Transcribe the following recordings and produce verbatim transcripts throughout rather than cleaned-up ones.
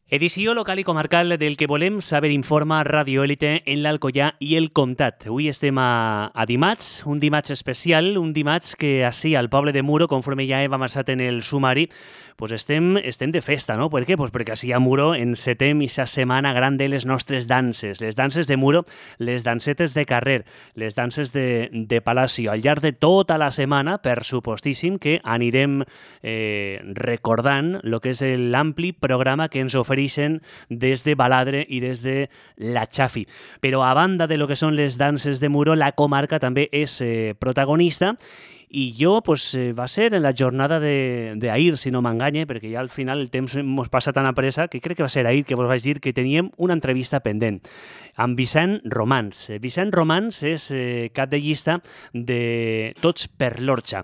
Edició local i comarcal del que volem saber informa Radio Élite en l'Alcoià i el Comtat. Avui estem a, a dimarts, un dimarts especial, un dimarts que així al poble de Muro, conforme ja hem avançat en el sumari, pues estem, estem de festa, no? Per què? Pues perquè així a Muro encetem aquesta setmana gran de les nostres danses. Les danses de Muro, les dansetes de carrer, les danses de, de Palacio. Al llarg de tota la setmana, per supostíssim, que anirem eh, recordant el que és l'ampli programa que ens ofereixen des de Baladre i des de la Chafi. Però a banda de lo que són les danses de Muro, la comarca també és eh, protagonista. I jo, pues, eh, va ser en la jornada d'ahir, si no m'enganye, perquè ja al final el temps ens passa tan a pressa que crec que va ser ahir que vos vaig dir que teníem una entrevista pendent amb Vicent Romans. Vicent Romans és eh, cap de llista de Tots per l'Orxa.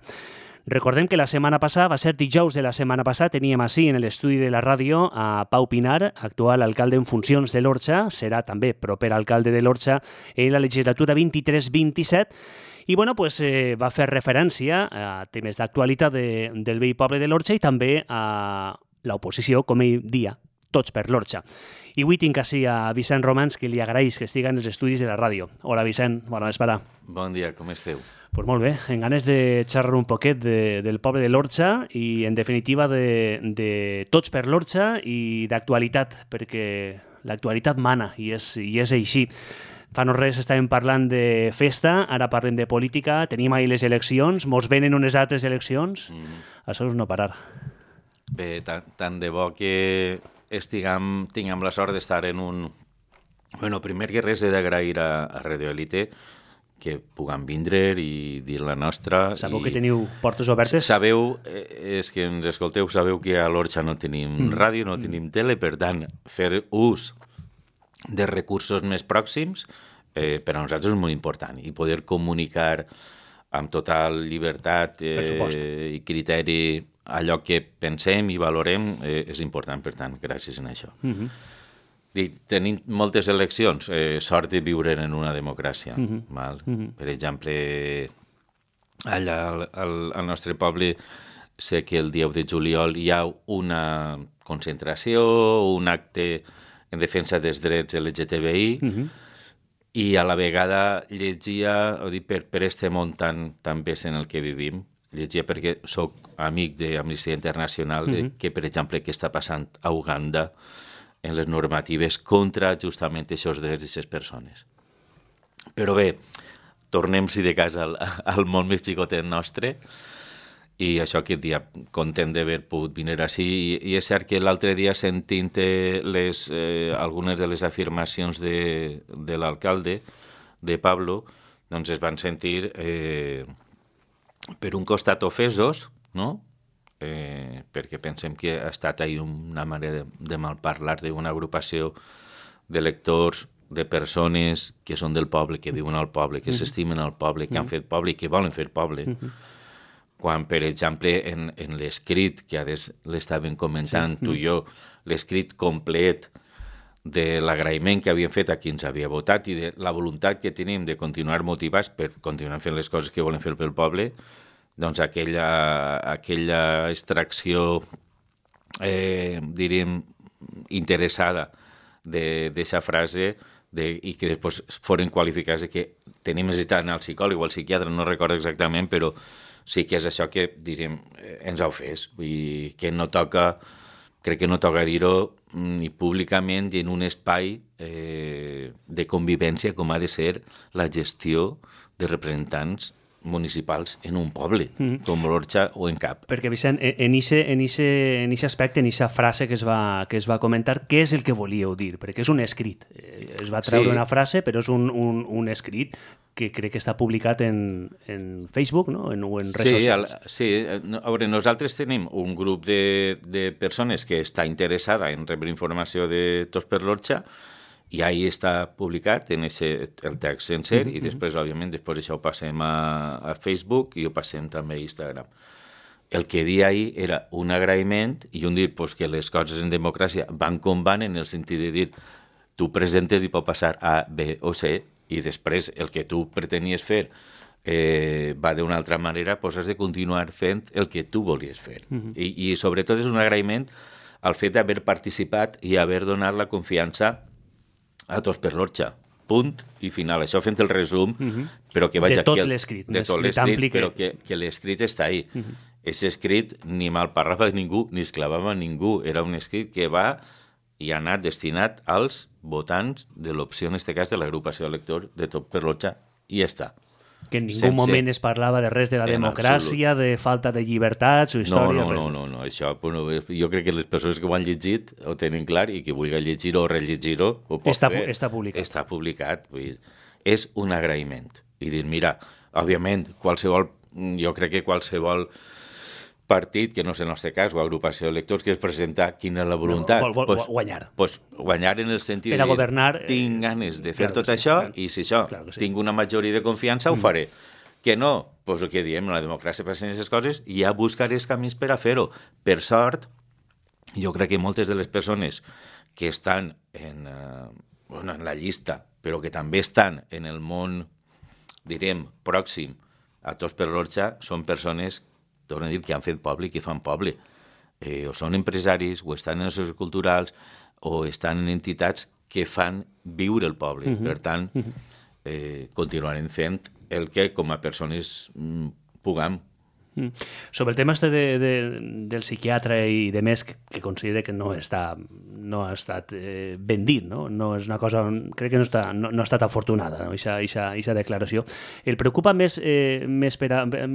Recordem que la setmana passada, va ser dijous de la setmana passada, teníem així en l'estudi de la ràdio a Pau Pinar, actual alcalde en funcions de l'Orxa, serà també proper alcalde de l'Orxa en la legislatura vint-i-tres vint-i-set, i bueno, pues, eh, va fer referència a temes d'actualitat de, del vell poble de l'Orxa i també a l'oposició, com ell dia, Tots per l'Orxa. I avui tinc així a Vicent Romans, que li agraeix que estigui en els estudis de la ràdio. Hola, Vicent, bona vesprada. Bon dia, com esteu? Pues molt bé, en ganes de xerrar un poquet de, del poble de l'Orxa i, en definitiva, de, de Tots per l'Orxa i d'actualitat, perquè l'actualitat mana i és, i és així. Fa no res estàvem parlant de festa, ara parlem de política, tenim ahir les eleccions, mos venen unes altres eleccions, mm. Això és no parar. Bé, tant, tant de bo que estiguem, tinguem la sort d'estar en un... Bueno, primer que res he d'agrair a, a Radio Élite que puguem vindre i dir la nostra. Sabeu i... que teniu portes obertes? Sabeu, és que ens escolteu, sabeu que a l'Orxa no tenim mm. ràdio, no mm. tenim tele, per tant, fer ús de recursos més pròxims, eh, per a nosaltres és molt important, i poder comunicar amb total llibertat eh, i criteri allò que pensem i valorem eh, és important, per tant, gràcies en això. Mm-hmm. I tenim moltes eleccions, eh, sort de viure en una democràcia. Mm-hmm. Val? Mm-hmm. Per exemple, allà al, al, al nostre poble sé que el dia u de juliol hi ha una concentració, un acte en defensa dels drets L G T B I, uh-huh. i a la vegada llegia, ho dic, per, per este món tan, tan bes en el que vivim, llegia perquè sóc amic d'Amnistia Internacional, uh-huh. de, que, per exemple, què està passant a Uganda en les normatives contra justament aquests drets d'aquestes persones. Però bé, tornem, si de cas, al, al món més xicotet nostre, i això aquest dia content d'haver pogut venir així, i, i és cert que l'altre dia sentint les, eh, algunes de les afirmacions de, de l'alcalde, de Pablo, doncs es van sentir eh, per un costat ofesos, no? Eh, perquè pensem que ha estat ahí una manera de, de malparlar d'una agrupació de lectors, de persones que són del poble, que viuen al poble, que mm-hmm. s'estimen al poble, que mm-hmm. han fet poble i que volen fer poble. Mm-hmm. Quan, per exemple, en, en l'escrit, que ara l'estàvem comentant sí. tu i jo, l'escrit complet de l'agraïment que havíem fet a qui ens havia votat i de la voluntat que tenim de continuar motivats per continuar fent les coses que volem fer pel poble, doncs aquella, aquella extracció, eh, diríem, interessada d'aquesta frase de, i que després foren qualificats de que tenim necessitat d'anar al psicòleg o al psiquiatre, no recordo exactament, però sí que és això que, diríem, ens ha ofès. Vull dir, que no toca, crec que no toca dir-ho ni públicament i en un espai eh, de convivència com ha de ser la gestió de representants municipals en un poble, mm. com l'Orxa o en cap. Perquè, Vicent, en aquest aspecte, en aquesta frase que es, va, que es va comentar, què és el que volíeu dir? Perquè és un escrit. Es va treure sí. una frase, però és un, un, un escrit que crec que està publicat en, en Facebook, no? En, o en redes sí, socials. Al, sí, a veure, nosaltres tenim un grup de, de persones que està interessada en rebre informació de Tots per l'Orxa, i ahí està publicat en ese, el text sencer, mm-hmm. i després, òbviament, després això ho passem a, a Facebook i ho passem també a Instagram. El que dia ahir era un agraïment i un dir pues, que les coses en democràcia van com van en el sentit de dir tu presentes i pot passar A, B o C, i després el que tu pretenies fer eh, va d'una altra manera, pues has de continuar fent el que tu volies fer. Mm-hmm. I, I sobretot és un agraïment al fet d'haver participat i haver donat la confiança a Tots per l'Orxa. Punt i final. Això fent el resum, uh-huh. però que vaig de tot aquí... l'escrit. De tot l'escrit, però que, que l'escrit està ahí. Uh-huh. És escrit ni malparlava ningú, ni esclavava ningú. Era un escrit que va i ha anat destinat als votants de l'opció, en aquest cas, de l'agrupació de lectors de Tots per l'Orxa, i ja està. Que en ningú Sense... moment es parlava de res de la democràcia, de falta de llibertats o història. No, no, no, no, no. Això, bueno, jo crec que les persones que ho han llegit ho tenen clar i que vulgui llegir-ho o rellegir-ho ho pot està, fer. Està publicat. Està publicat. Vull dir, és un agraïment. I dir, mira, òbviament, qualsevol, jo crec que qualsevol partit, que no és el nostre cas, o agrupació de lectors, que és presentar quina és la voluntat. No, vol, vol, pues, guanyar. Pues, guanyar en el sentit per a de dir, governar, tinc ganes de fer claro tot sí, això, claro, i si això claro sí. tinc una majoria de confiança, ho faré. Mm. Que no, doncs el que diem, la democràcia per aquestes coses, ja buscaré els camins per a fer-ho. Per sort, jo crec que moltes de les persones que estan en, uh, bueno, en la llista, però que també estan en el món, direm, pròxim a Tots per l'Orxa, són persones, torno a dir, que han fet poble i que fan poble. Eh, o són empresaris, o estan en els sectors culturals, o estan en entitats que fan viure el poble. Uh-huh. Per tant, eh, continuarem fent el que com a persones mm, puguem. Mm. Sobre el tema este de, de, del psiquiatre i de més, que, que considera que no està no ha estat eh, ben dit, no? No és una cosa, crec que no, està, no, no ha estat afortunada, no? Eixa declaració. El preocupa més, eh, més per a, eh,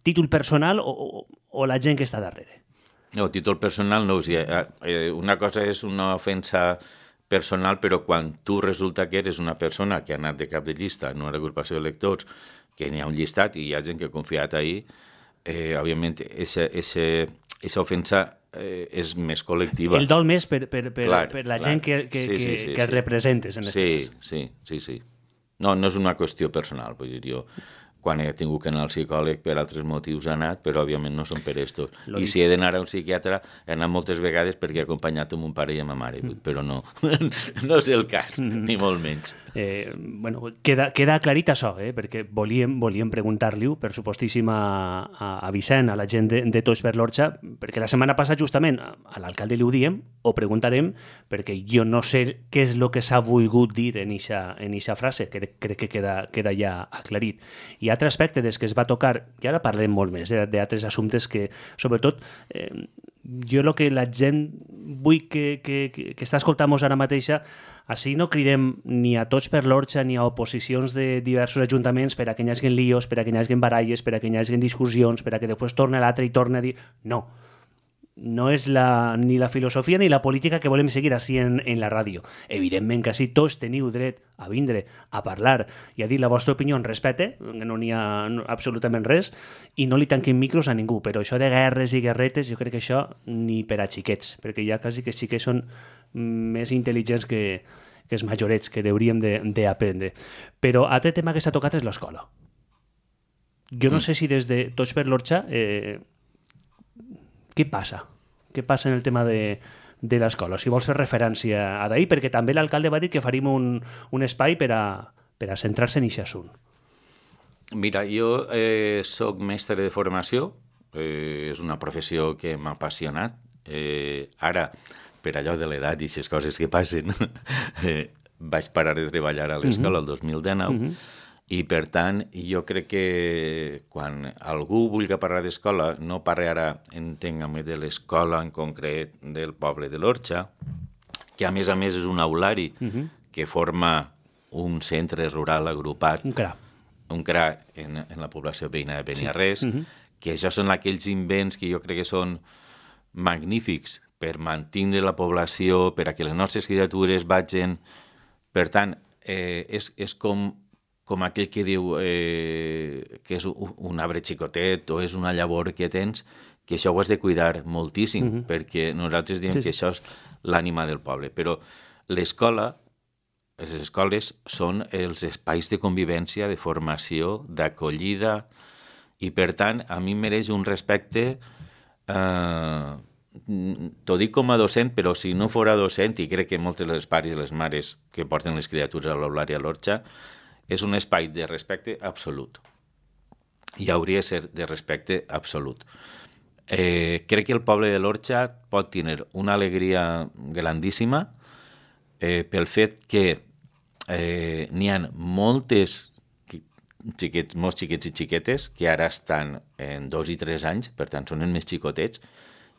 títol personal o, o, o la gent que està darrere? No, títol personal no. O sigui, eh, una cosa és una ofensa personal, però quan tu resulta que eres una persona que ha anat de cap de llista en una agrupació de lectors, que n'hi ha un llistat i hi ha gent que ha confiat ahí, eh, òbviament, aquesta ofensa eh, és més col·lectiva. El dol més per, per, per, clar, per la clar. gent que, que, sí, sí, sí, que, que sí. representes en sí, aquest cas. Sí, sí, sí. No, no és una qüestió personal. Vull dir, jo, quan he tingut que anar al psicòleg per altres motius he anat, però òbviament no són per estos. Lo I dic. Si he d'anar a un psiquiatre he anat moltes vegades perquè he acompanyat amb un pare i amb ma mare, mm. però no, no és el cas, mm. ni molt menys. Eh, bueno, queda, queda aclarit això, eh? Perquè volíem, volíem preguntar-li-ho, per supostíssim, a, a, a Vicent, a la gent de, de Tots per l'Orxa, perquè la setmana passada justament a l'alcalde li ho diem, o preguntarem, perquè jo no sé què és el que s'ha volgut dir en eixa frase, que crec que queda, queda ja aclarit. I altre aspecte des que es va tocar, i ara parlem molt més eh, d'altres assumptes que, sobretot, eh, jo el que la gent vull que, que, que, que està escoltant-nos ara mateixa, així no cridem ni a Tots per l'Orxa ni a oposicions de diversos ajuntaments per a que hi hagi líos, per a que hi hagi baralles, per a que hi hagi discussions, per a que després torni l'altre i torni a dir... No, no és la, ni la filosofia ni la política que volem seguir així en, en la ràdio. Evidentment que així tots teniu dret a vindre, a parlar i a dir la vostra opinió en respecte, que no n'hi ha absolutament res, i no li tanquin micros a ningú, però això de guerres i guerretes, jo crec que això ni per a xiquets, perquè ja quasi que xiquets són més intel·ligents que, que els majorets, que hauríem d'aprendre. Però altre tema que s'ha tocat és l'escola. Jo no mm. sé si des de Tots per l'Orxa... Eh, què passa? Què passa en el tema de, de l'escola? Si vols fer referència a d'ahir, perquè també l'alcalde va dir que faríem un, un espai per a, per a centrar-se en aquest assunt. Mira, jo eh, soc mestre de formació, eh, és una professió que m'ha apassionat. Eh, ara, per allò de l'edat i aquestes coses que passen, eh, vaig parar de treballar a l'escola el dos mil dinou, mm-hmm. i per tant jo crec que quan algú vulgui parlar d'escola no parli ara, entenc-me, de l'escola en concret del poble de l'Orxa, que a més a més és un aulari uh-huh. que forma un centre rural agrupat, un C R A, un C R A en, en la població veïna de Beniarrés, sí. uh-huh. que això són aquells invents que jo crec que són magnífics per mantenir la població, per a que les nostres criatures vagin. Per tant, eh, és, és com com aquell que diu eh, que és un, un arbre xicotet o és una llavor que tens, que això ho has de cuidar moltíssim, mm-hmm. perquè nosaltres diem sí, sí. que això és l'ànima del poble. Però l'escola, les escoles són els espais de convivència, de formació, d'acollida, i per tant a mi mereix un respecte, eh, t'ho dic com a docent, però si no fora docent, i crec que moltes dels pares i les mares que porten les criatures a l'aulari a l'Orxa, és un espai de respecte absolut. I hauria de ser de respecte absolut. Eh, crec que el poble de l'Orxa pot tenir una alegria grandíssima eh, pel fet que eh, n'hi ha moltes xiquets, molts xiquets i xiquetes que ara estan en dos i tres anys, per tant són els més xicotets,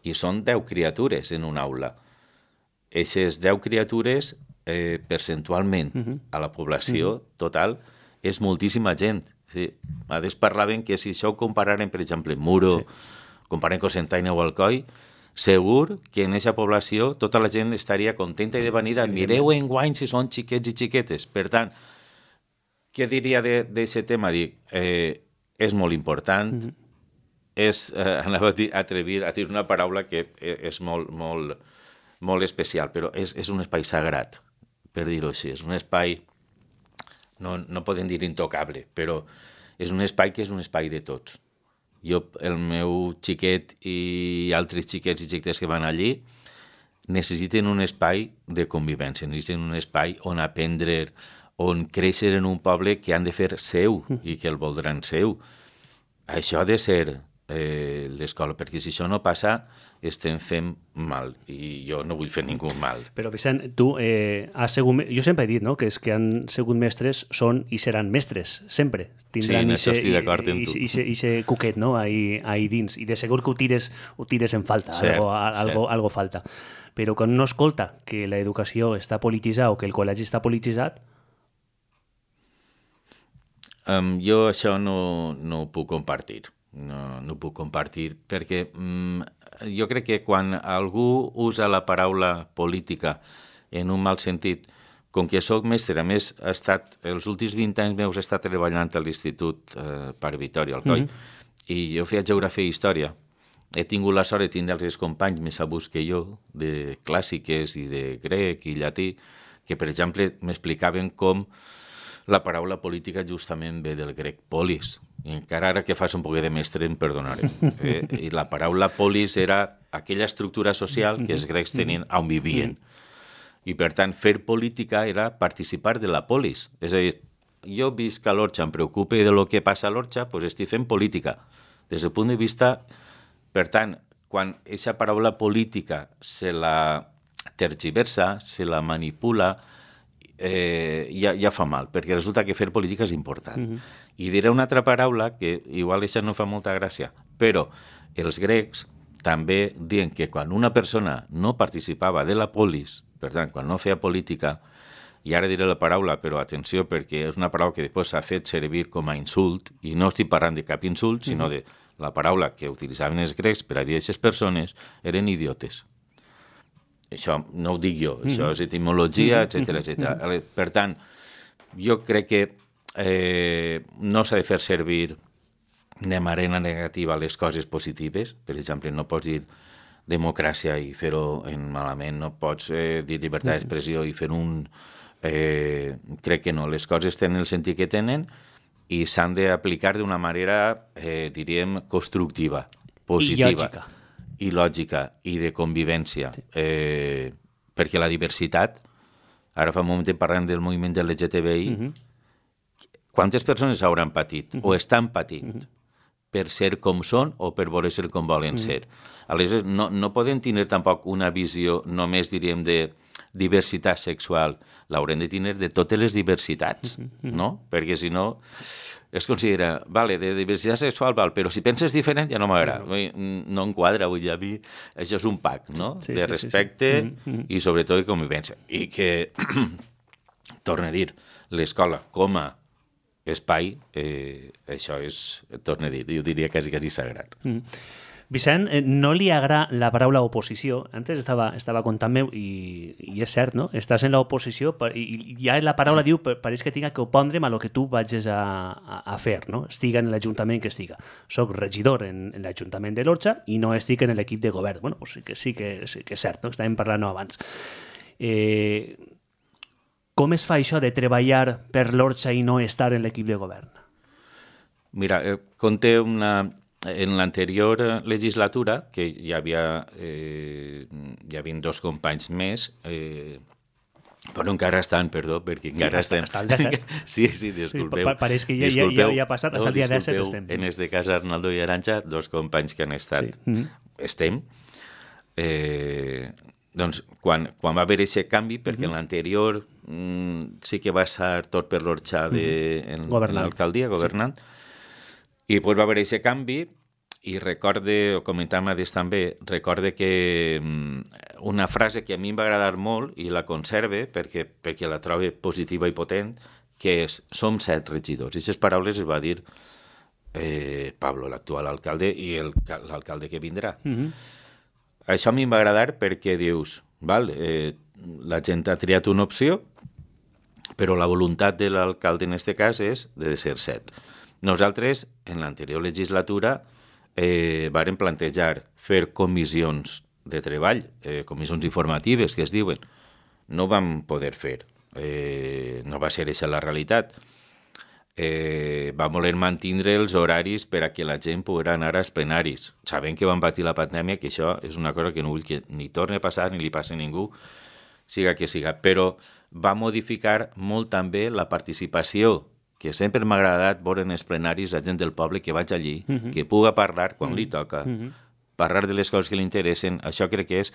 i són deu criatures en una aula. Eixes deu criatures, eh, percentualment, uh-huh. a la població uh-huh. total, és moltíssima gent. Sí. A més parlaven que si això ho compararen, per exemple, Muro, sí. comparant Cocentaina o Alcoi, segur que en aquesta població tota la gent estaria contenta i de venida. Mireu enguany si són xiquets i xiquetes. Per tant, què diria d'aquest tema? Dic, eh, és molt important, mm-hmm. és, eh, anava a dir, atrevir a dir una paraula que és molt, molt, molt especial, però és, és un espai sagrat, per dir-ho així. És un espai, no, no podem dir intocable, però és un espai que és un espai de tots. Jo, el meu xiquet i altres xiquets i xiquetes que van allí necessiten un espai de convivència, necessiten un espai on aprendre, on créixer en un poble que han de fer seu i que el voldran seu. Això ha de ser eh, l'escola, perquè si això no passa estem fent mal, i jo no vull fer ningú mal. Però Vicent, tu eh, has sigut... Jo sempre he dit, no?, que és que han sigut mestres, són i seran mestres, sempre. Tindran sí, en això estic d'acord amb tu. I aquest cuquet, no?, ahí, ahí dins. I de segur que ho tires, ho tires en falta, cert, algo, algo, algo falta. Però quan no escolta que l'educació està polititzada o que el col·legi està polititzat... Um, jo això no, no ho puc compartir. No, no ho puc compartir perquè um, jo crec que quan algú usa la paraula política en un mal sentit, com que soc mestre, a més, he estat, els últims vint anys meus he estat treballant a l'Institut eh, Pare Vitòria, al Coi, mm-hmm. i jo feia geografia i història. He tingut la sort de tindre els companys més sabuts que jo, de clàssiques i de grec i llatí, que, per exemple, m'explicaven com la paraula política justament ve del grec polis. I encara ara que fas un poc de mestre em perdonarem. Eh? I la paraula polis era aquella estructura social que els grecs tenien on vivien. I, per tant, fer política era participar de la polis. És a dir, jo visc a l'Orxa, em preocupe de lo que passa a l'Orxa, doncs estic fent política. Des del punt de vista... Per tant, quan aquesta paraula política se la tergiversa, se la manipula, eh, ja, ja fa mal, perquè resulta que fer política és important. Mm-hmm. I diré una altra paraula que igual això no fa molta gràcia, però els grecs també diuen que quan una persona no participava de la polis, per tant, quan no feia política, i ara diré la paraula, però atenció, perquè és una paraula que després s'ha fet servir com a insult, i no estic parlant de cap insult, mm-hmm. sinó de la paraula que utilitzaven els grecs per a dir a aquestes persones eren idiotes. Això no ho dic jo, mm-hmm. això és etimologia, etcètera, etcètera. Mm-hmm. Per tant, jo crec que eh, no s'ha de fer servir de manera negativa les coses positives. Per exemple, no pots dir democràcia i fer-ho en malament, no pots eh, dir llibertat d'expressió i fer un... Eh, crec que no, les coses tenen el sentit que tenen i s'han d'aplicar d'una manera, eh, diríem, constructiva, positiva. I lògica. I lògica, i de convivència. Sí. Eh, perquè la diversitat, ara fa un moment parlant del moviment de L G T B I, mm-hmm. quantes persones hauran patit, mm-hmm. o estan patint, mm-hmm. per ser com són o per voler ser com volen mm-hmm. ser. Aleshores, no, no podem tenir tampoc una visió només, diríem, de diversitat sexual, l'haurem de tenir de totes les diversitats, mm-hmm. no? Perquè si no es considera, vale, de diversitat sexual, val, però si penses diferent ja no m'agrada, no, no enquadra, vull dir, a mi això és un pack, no? Sí, de sí, respecte sí, sí. Mm-hmm. i sobretot de convivència. I que, torno a dir, l'escola com a espai, eh, això és, torno a dir, jo diria quasi, quasi sagrat. Mm. Vicent, no li agrada la paraula oposició. Antes estava, estava contant-me, i, i és cert, no? Estàs en l'oposició i, i ja la paraula diu, pareix que tinga que opondre'm a lo que tu vagis a, a, a fer, no? Estiga en l'Ajuntament que estiga. Soc regidor en, en l'Ajuntament de l'Orxa i no estic en l'equip de govern. Bueno, pues sí que sí que, sí que és cert, no? Estàvem parlant abans. Eh, com es fa això de treballar per l'Orxa i no estar en l'equip de govern? Mira, eh, conté una... En l'anterior legislatura, que hi havia, eh, hi havia dos companys més, eh, Però encara estan, perdó, perquè encara sí, estem... Està al disset. Sí, sí, disculpeu. Sí, pareix que ja, ja, ja, ja ha passat, no, hasta el dia disset estem. En este cas, Arnaldo i Arantxa, dos companys que han estat... Sí. Mm -hmm. Estem. Eh, doncs, quan, quan va haver aquest canvi, perquè mm -hmm. en l'anterior mm, sí que va ser tot per l'Orxà de, mm -hmm. en, en l'alcaldia, governant, sí. I després va haver aquest canvi. I recorde, o comentàvem a també, recorde que una frase que a mi em va agradar molt i la conserve perquè, perquè la trobo positiva i potent, que és, som set regidors. I aquestes paraules es va dir eh, Pablo, l'actual alcalde, i l'alcalde que vindrà. Mm-hmm. Això a mi em va agradar perquè dius, val, eh, la gent ha triat una opció, però la voluntat de l'alcalde en aquest cas és de ser set. Nosaltres, en l'anterior legislatura, Eh, varen plantejar fer comissions de treball, eh, comissions informatives que es diuen. No ho vam poder fer, eh, no va ser aquesta la realitat. Eh, vam voler mantenir els horaris per a que la gent pogués anar als plenaris. Sabem que van patir la pandèmia, que això és una cosa que no vull que ni torni a passar ni li passi a ningú, siga que siga, però va modificar molt també la participació, que sempre m'ha agradat veure en els plenaris la gent del poble que vaig allí, uh -huh. que puga parlar quan uh -huh. li toca, uh -huh. parlar de les coses que li interessen. Això crec que és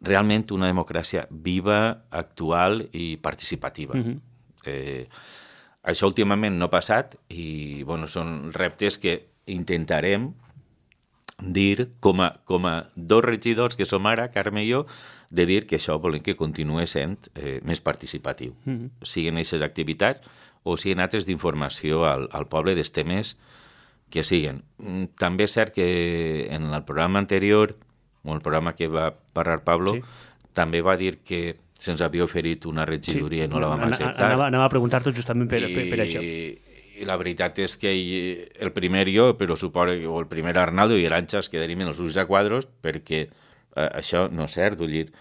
realment una democràcia viva, actual i participativa. Uh -huh. eh, això últimament no ha passat i bueno, són reptes que intentarem dir com a, com a dos regidors que som ara, Carme i jo, de dir que això volem que continuï sent eh, més participatiu. Uh -huh. Siguin aquestes activitats o siguin altres d'informació al, al poble dels temes que siguen. També és cert que en el programa anterior, o el programa que va parlar Pablo, sí. també va dir que se'ns havia oferit una regidoria sí. i no la vam acceptar. Anava, anava a preguntar-t'ho justament per, I, per, per això. I la veritat és que el primer jo, però suposo que el primer Arnaldo i Arantxa es quedaríem en els ulls de quadros perquè eh, això no és cert, vull dir,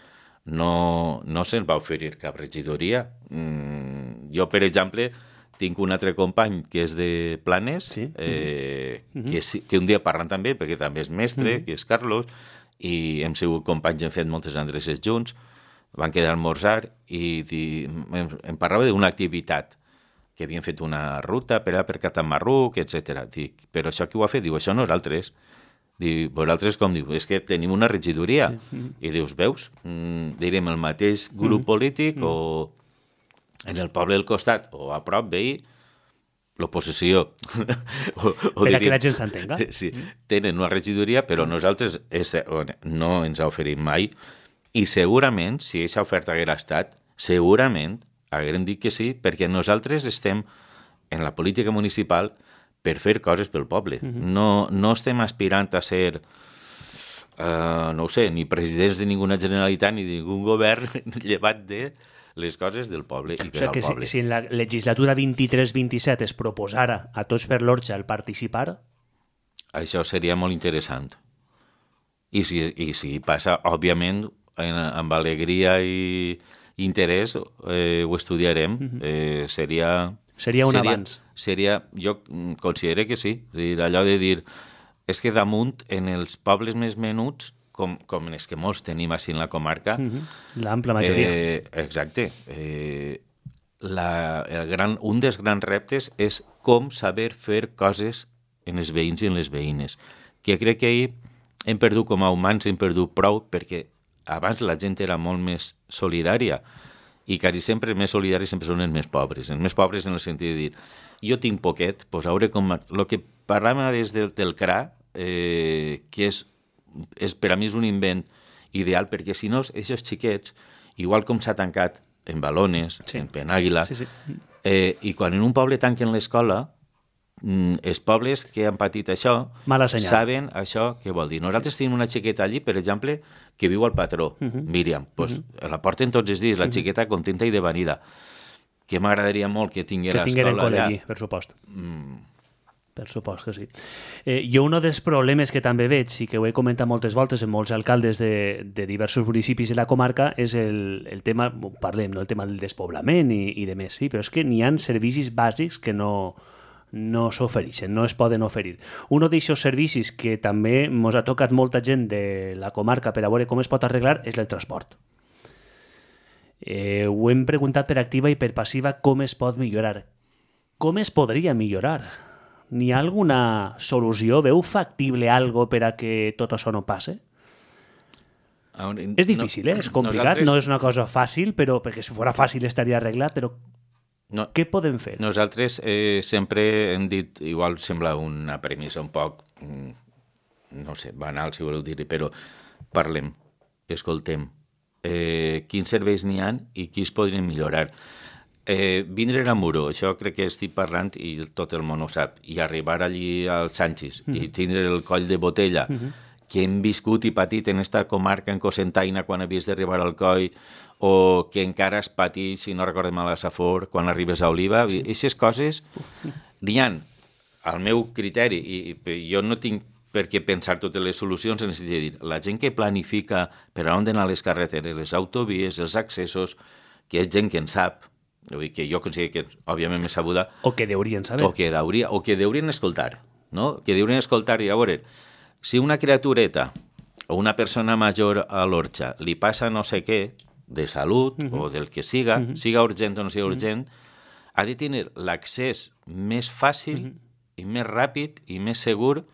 no, no se'ns va oferir cap regidoria. Mm, jo, per exemple, tinc un altre company que és de Planes, sí? eh, uh -huh. que, que un dia parlant també, perquè també és mestre, uh -huh. que és Carlos, i hem sigut companys, hem fet moltes endreces junts, van quedar a almorzar i di, em, em parlava d'una activitat, que havien fet una ruta per a per Catamarruc, etcètera. Dic, però això qui ho ha fet? Diu, això nosaltres. Diu, vosaltres com? Diu, és que tenim una regidoria. Sí. Uh-huh. I dius, veus? Mm, direm el mateix grup uh-huh. polític uh-huh. o en el poble del costat o a prop veí, l'oposició. o, o per diríem, a que la gent s'entenga. Sí, tenen una regidoria, però nosaltres és, no ens ha oferit mai i segurament, si aquesta oferta haguera estat, segurament haguem dit que sí, perquè nosaltres estem en la política municipal per fer coses pel poble. Uh-huh. No, no estem aspirant a ser, uh, no ho sé, ni presidents de ninguna generalitat ni de ningun govern llevat de les coses del poble i per o sigui, al que poble. Si, si en la legislatura vint-i-tres vint-i-set es proposara a Tots per l'Orxa el participar... Això seria molt interessant. I si, i si passa, òbviament, en, amb alegria i interès, eh, ho estudiarem. Uh-huh. eh, seria... Seria un seria, abans. Seria, jo considero que sí. Dir, allò de dir, és que damunt, en els pobles més menuts, com, com els que molts tenim així en la comarca... Uh-huh. L'ampla majoria. Eh, exacte. Eh, la, el gran, un dels grans reptes és com saber fer coses en els veïns i en les veïnes. Que crec que ahir hem perdut com a humans, hem perdut prou, perquè abans la gent era molt més solidària i quasi sempre els més solidaris sempre són els més pobres. Els més pobres en el sentit de dir, jo tinc poquet, doncs hauré com... El que parlàvem des del, del C R A, eh, que és, és per a mi és un invent ideal, perquè si no, aquests xiquets, igual com s'ha tancat en Balones, sí. en Penàguila, sí, sí. Eh, i quan en un poble tanquen l'escola, els pobles que han patit això saben això què vol dir. Nosaltres tenim una xiqueta allí, per exemple, que viu al patró, uh-huh. Míriam. Pues, uh-huh. La porten tots els dies, la xiqueta contenta i de venida. Que m'agradaria molt que tinguera que escola allà. Allí, per supost. Mm. Per supost que sí. Eh, jo un dels problemes que també veig, i que ho he comentat moltes voltes en molts alcaldes de, de diversos municipis de la comarca, és el, el tema, parlem, no? El tema del despoblament i, i de més, sí? Però és que n'hi ha servicis bàsics que no... no s'ofereixen, no es poden oferir. Un d'aquests servicis que també ens ha tocat molta gent de la comarca per a veure com es pot arreglar és el transport. Eh, ho hem preguntat per activa i per passiva com es pot millorar. Com es podria millorar? N'hi ha alguna solució? Veu factible algo per a que tot això no passe? És difícil, eh? És complicat, nosaltres... no és una cosa fàcil, però perquè si fos fàcil estaria arreglat, però no, què podem fer? Nosaltres eh, sempre hem dit, igual sembla una premissa un poc, no sé, banal si voleu dir-hi, però parlem, escoltem, eh, quins serveis n'hi ha i qui es podrien millorar. Eh, vindre a Muro, això crec que estic parlant i tot el món ho sap, i arribar allí al Sanchis mm -hmm. i tindre el coll de botella, mm -hmm. que hem viscut i patit en esta comarca en Cocentaina quan havies d'arribar al coll, o que encara es pateix, si no recordem mal, a Safor, quan arribes a Oliva. Sí. Aquestes coses n'hi ha, al meu criteri, i, i jo no tinc per què pensar totes les solucions, en el sentit de dir, la gent que planifica per a on d'anar les carreteres, les autovies, els accessos, que és gent que en sap, que jo considero que, òbviament, m'he sabuda... O que deurien saber. O que, deuria, o que deurien escoltar, no? Que deurien escoltar i a veure, si una criatureta o una persona major a l'Orxa li passa no sé què, de salut uh -huh. o del que siga, uh -huh. siga urgent o no siga urgent, uh -huh. ha de tenir l'accés més fàcil uh -huh. i més ràpid i més segur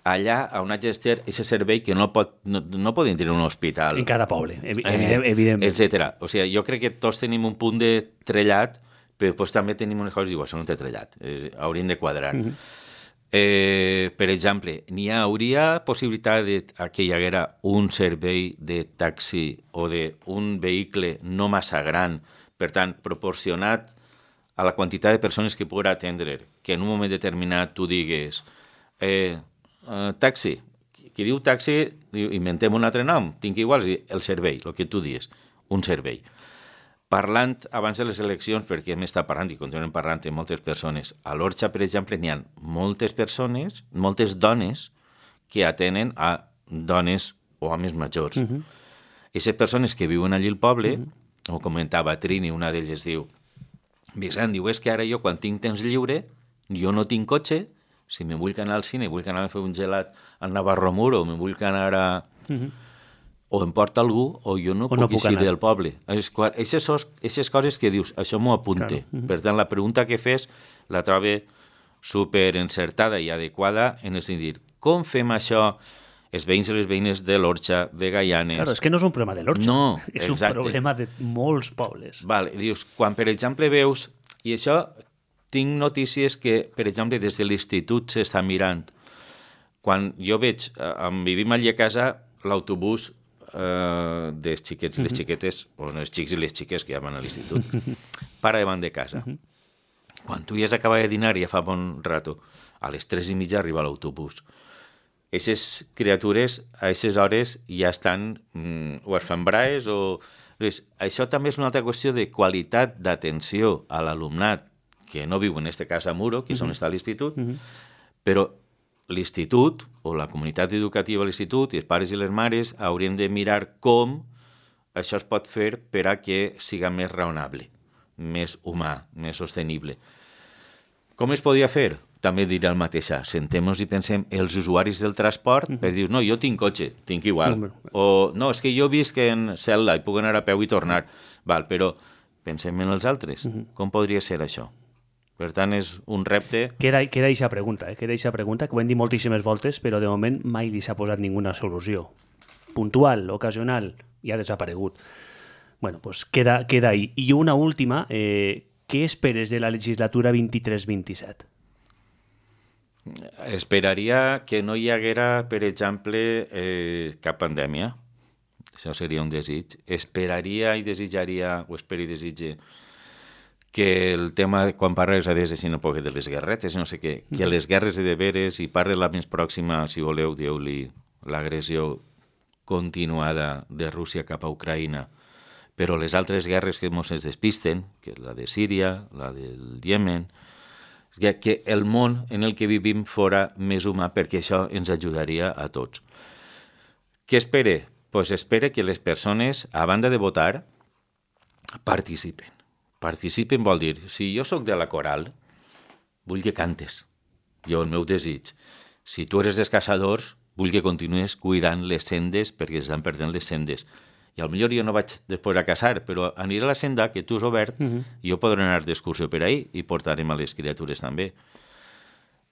allà on ha gestionat aquest servei que no, pot, no, no poden tenir un hospital. En cada poble, evident, eh, evidentment. Etcètera. O sigui, jo crec que tots tenim un punt de trellat, però doncs, també tenim unes coses i diu, això no té trellat, eh, haurien de quadrar. Uh -huh. eh, per exemple, n'hi hauria possibilitat de, que hi haguera un servei de taxi o d'un vehicle no massa gran, per tant, proporcionat a la quantitat de persones que pugui atendre, que en un moment determinat tu digues... Eh, Uh, taxi, qui diu taxi, diu, inventem un altre nom, tinc igual, el servei, el que tu dius, un servei. Parlant abans de les eleccions, perquè hem estat parlant i continuem parlant amb moltes persones, a l'Orxa, per exemple, n'hi ha moltes persones, moltes dones que atenen a dones o homes majors. Uh -huh. Aquestes persones que viuen allí al poble, uh -huh. ho comentava Trini, una d'elles diu, Vicent, diu, és que ara jo quan tinc temps lliure, jo no tinc cotxe, si me vull anar al cine, vull anar a fer un gelat al Navarro Muro, o me vull anar a... Uh-huh. o em porta algú, o jo no o puc no eixir del poble. Aquestes coses que dius, això m'ho apunte. Claro. Uh-huh. Per tant, la pregunta que fes la trobe super encertada i adequada en el sentit, com fem això els veïns i les veïnes de l'Orxa, de Gaianes... Claro, és que no és un problema de l'Orxa, no, és exacte. un problema de molts pobles. Vale, dius, quan per exemple veus, i això... Tinc notícies que, per exemple, des de l'institut s'està mirant. Quan jo veig, eh, vivim allà a casa, l'autobús eh, dels xiquets i les xiquetes, o no, els xics i les xiques que ja van a l'institut, para davant de casa. Uh -huh. Quan tu ja has acabat de dinar, ja fa bon rato, a les tres i mitja arriba l'autobús. Aquestes criatures, a aquestes hores, ja estan mm, o es fan braes o... Això també és una altra qüestió de qualitat d'atenció a l'alumnat que no viu en aquest cas a Muro, que és on està l'institut, uh-huh. però l'institut, o la comunitat educativa a l'institut, i els pares i les mares, haurien de mirar com això es pot fer per a que siga més raonable, més humà, més sostenible. Com es podria fer? També diré el mateix. Sentem-nos i pensem els usuaris del transport uh-huh. per dir, no, jo tinc cotxe, tinc igual. Uh-huh. O, no, és que jo visc en Celda i puc anar a peu i tornar. Val, però pensem en els altres. Uh-huh. Com podria ser això? Per tant, és un repte... Queda, queda eixa pregunta, eh? queda eixa pregunta, que ho hem dit moltíssimes voltes, però de moment mai li s'ha posat ninguna solució. Puntual, ocasional, i ha desaparegut. Bueno, pues queda, queda ahí. I una última, eh, què esperes de la legislatura vint-i-tres vint-i-set? Esperaria que no hi haguera, per exemple, eh, cap pandèmia. Això seria un desig. Esperaria i desitjaria, o espero i desitge, que el tema, quan parles a des de si no poc de les guerretes, no sé què, que les guerres de deberes, i parle la més pròxima, si voleu, dieu-li l'agressió continuada de Rússia cap a Ucraïna, però les altres guerres que ens es despisten, que és la de Síria, la del Iemen, que el món en el que vivim fora més humà, perquè això ens ajudaria a tots. Què espere? Pues espere que les persones, a banda de votar, participen. Participen vol dir, si jo sóc de la coral, vull que cantes. Jo, el meu desig. Si tu eres dels caçadors, vull que continues cuidant les sendes perquè estan perdent les sendes. i potser jo no vaig després a casar, però aniré a la senda que tu has obert, uh -huh. i jo podré anar d'excursió per ahí i portarem a les criatures també.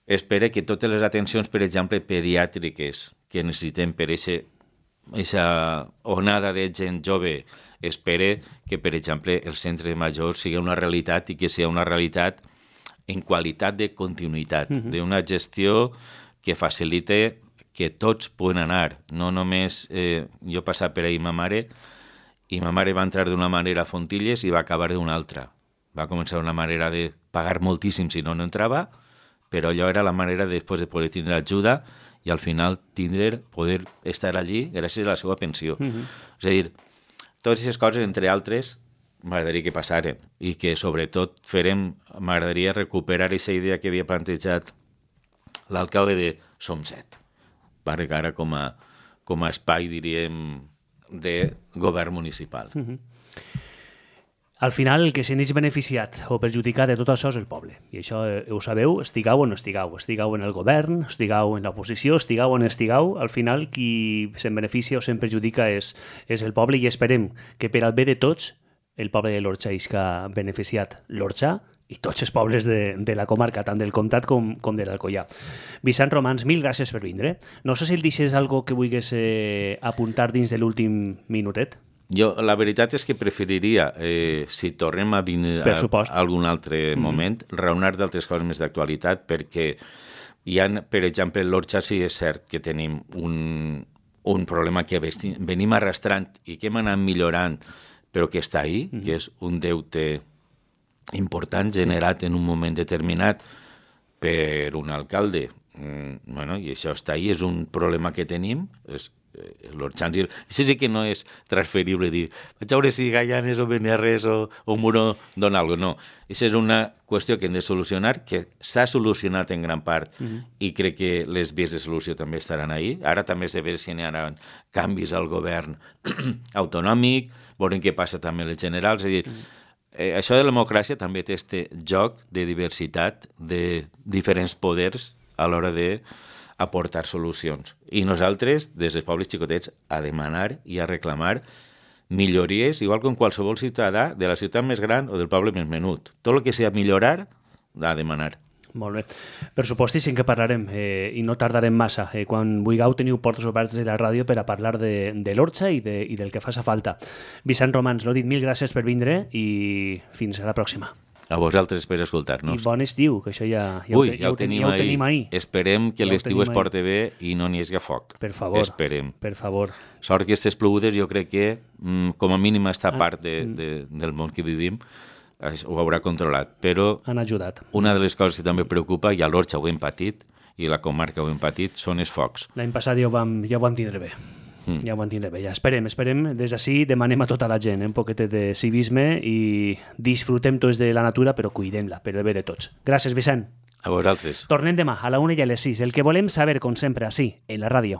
Espero que totes les atencions, per exemple, pediàtriques que necessitem per aquesta onada de gent jove, espero que, per exemple, el centre de majors sigui una realitat i que sigui una realitat en qualitat de continuïtat, uh -huh. d'una gestió que facilite que tots poden anar, no només... Eh, jo he passat per ahir ma mare i ma mare va entrar d'una manera a Fontilles i va acabar d'una altra. Va començar una manera de pagar moltíssim si no no entrava, però allò era la manera de, després de poder tindre ajuda i al final tindre, poder estar allí gràcies a la seva pensió. Uh -huh. És a dir, totes aquestes coses, entre altres, m'agradaria que passaren i que, sobretot, farem, m'agradaria recuperar aquesta idea que havia plantejat l'alcalde de Som set, perquè ara com a, com a espai, diríem, de govern municipal. Uh -huh. Al final, el que se n'és beneficiat o perjudicat de tot això és el poble. I això eh, ho sabeu, estigueu o no estigueu. Estigueu en el govern, estigueu en l'oposició, estigueu on estigueu. Al final, qui se'n beneficia o se'n perjudica és, és el poble i esperem que per al bé de tots el poble de l'Orxa isca beneficiat l'Orxa i tots els pobles de, de la comarca, tant del comtat com, com de l'Alcoià. Vicent Romans, mil gràcies per vindre. No sé si el deixes algo que vulguis eh, apuntar dins de l'últim minutet. Jo, la veritat és que preferiria, eh, si tornem a vindre a, a algun altre moment, mm-hmm. raonar d'altres coses més d'actualitat, perquè hi ha, per exemple, l'Orxa sí és cert que tenim un, un problema que venim arrastrant i que hem anat millorant, però que està ahí, mm-hmm. que és un deute important generat en un moment determinat per un alcalde. Mm, bueno, i això està ahí, és un problema que tenim, és l'Orxans, això sí que no és transferible dir, vaig a veure si Gaianes o Beniarrés o, o Muro dona alguna cosa, no. Això és una qüestió que hem de solucionar, que s'ha solucionat en gran part uh-huh. i crec que les vies de solució també estaran ahí. Ara també és de veure si n'hi ha canvis al govern autonòmic, veurem què passa també als generals, és a dir, uh-huh. Eh, això de la democràcia també té este joc de diversitat de diferents poders a l'hora d'aportar solucions. I nosaltres, des dels pobles xicotets, a demanar i a reclamar millories, igual com qualsevol ciutadà de la ciutat més gran o del poble més menut. Tot el que sigui millorar, a demanar. Molt bé. Per supostíssim que parlarem eh, i no tardarem massa. Eh, quan vulgueu teniu portes obertes de la ràdio per a parlar de, de l'Orxa i, de, i del que faça falta. Vicent Romans, l'ho dit, mil gràcies per vindre i fins a la pròxima. A vosaltres per escoltar-nos. I bon estiu, que això ja, ja, Ui, ho, ja, ho, tenim ja ho tenim ahir. Esperem que ja l'estiu es porti bé i no n'hi hagi foc. Per favor. Esperem. Per favor. Sort que aquestes plogudes jo crec que, com a mínim, està ah. part de, de, del món que vivim, ho haurà controlat, però han ajudat. Una de les coses que també preocupa, i a l'Orxa ho hem patit, i la comarca ho hem patit, són els focs. L'any passat ja ho vam, ja ho vam tindre bé. Mm. Ja ho vam tindre bé. Ja esperem, esperem. Des d'ací demanem a tota la gent eh, un poquet de civisme i disfrutem tots de la natura, però cuidem-la, per el bé de tots. Gràcies, Vicent. A vosaltres. Tornem demà a la una i a les sis. El que volem saber, com sempre, ací, en la ràdio.